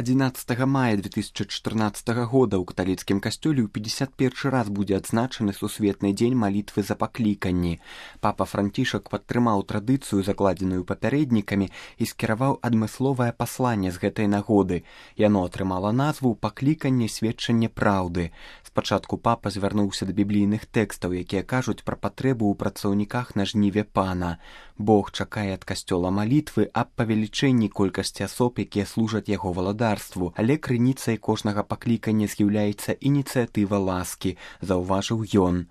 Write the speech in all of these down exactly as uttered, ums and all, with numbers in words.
адзінаццатага мая две тысячи чатырнаццатага года ў каталіцкім касцёле ў пятьдесят першы раз будзе адзначаны сусветны дзень малітвы за пакліканні. Папа Францішак падтрымаў традыцыю, закладзеную папярэднікамі, і скіраваў адмысловае пасланне з гэтай нагоды. Яно атрымала назву «Пакліканне сведчанне праўды». Спачатку папа звярнуўся да біблійных тэкстаў, якія кажуць пра патрэбу ў працаўніках на жніве пана. Бог чакае ад касцёла малітвы аб павелічэнні колькасці асоб, якія служаць яго валадарству, але крыніцай кожнага паклікання з'яўляецца ініцыятыва ласкі, заўважыў ён.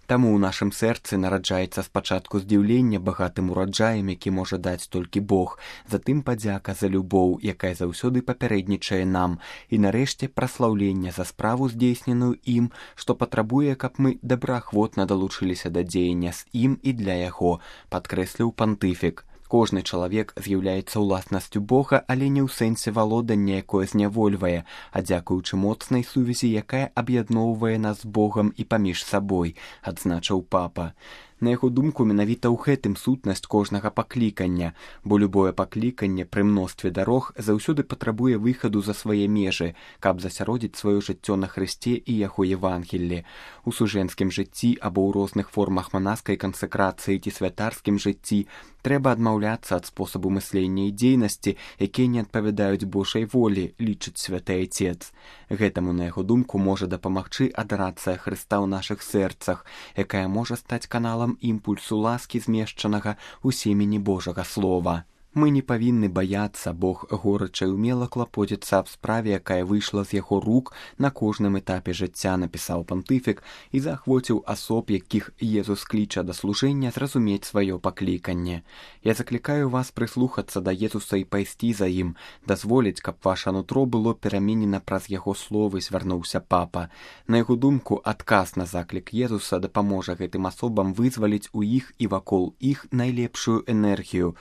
Таму ў нашым сэрцы нараджаецца спачатку здзіўлення багатым ураджаем, які можа даць толькі Бог, затым падзяка за любоў, якая заўсёды папярэднічае нам, і нарэшце праслаўлення за справу, здзейсненую ім, што патрабуе, каб мы добраахвотна далучыліся да дзеяння з ім і для яго, падкрэсліў пантыфік. Кожны чалавек з'яўляецца ўласнасцю Бога, але не ў сэнсе валодання, якое знявольвае, а дзякуючы моцнай сувязі, якая аб'ядноўвае нас з Богам і паміж сабой, адзначыў папа. На яго думку, менавіта ў гэтым сутнасць кожнага паклікання, бо любое пакліканне пры мностве дарог заўсёды патрабуе выхаду за свае межы, каб засяродзіць сваё жыццё на Хрысце і яго Евангеллі. У сужэнскім жыцці або ў розных формах манаскай кансакрацыі ці святарскім жыцці трэба адмаўляцца ад спосабу мыслення і дзейнасці, якія не адпавядаюць Божай волі, лічыць святы Айцец. Гэтаму, на яго думку, можа дапамагчы адарацыя Хрыста ў нашых сэрцах, якая можа стаць каналам імпульсу ласкі, змешчанага ў семені Божага Слова. Мы не павінны баяцца, Бог горача і ўмела клапоціцца аб справе, якая выйшла з яго рук на кожным этапе жыцця, напісаў пантыфік і заахвоціў асоб, якіх Езус кліча да служэння, зразумець сваё пакліканне. Я заклікаю вас прыслухацца да Езуса і пайсці за ім, дазволіць, каб ваша нутро было пераменена праз яго словы, звярнуўся папа. На яго думку, адказ на заклік Езуса дапаможа гэтым асобам вызваліць у іх і вакол іх найлепшую энергію.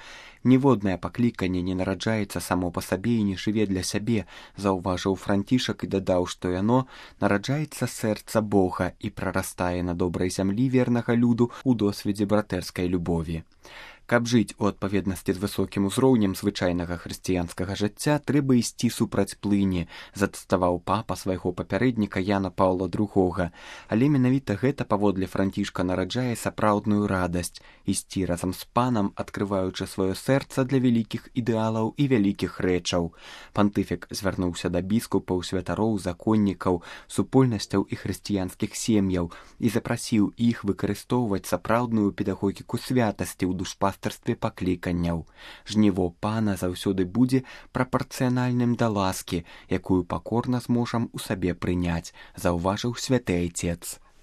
Ніводнае пакліканне не нараджаецца само па сабе і не жыве для сябе, заўважыў Францішак і дадаў, што яно нараджаецца сэрца Бога і прарастае на добрай зямлі вернага люду ў досведзе братэрскай любові. Каб жыць у адпаведнасці з высокім узроўнем звычайнага хрысціянскага жыцця, трэба ісці супраць плыні, зацытаваў папа свайго папярэдніка Яна Паўла другога. Але менавіта гэта паводле Францішка нараджае сапраўдную радасць, ісці разам з панам, адкрываючы сваё сэрца для вялікіх ідэалаў і вялікіх рэчаў. Пантыфік звярнуўся да біскупаў, святароў, законнікаў, супольнасцяў і хрысціянскіх сем'яў і запрасіў іх выкарыстоўваць сапраўдную педагогіку святасці ў душпастырстве пакліканняў. Жніво пана заўсёды будзе прапарцыянальным да ласкі, якую пакорна зможам у сабе прыняць, заўважыў святы Айцец.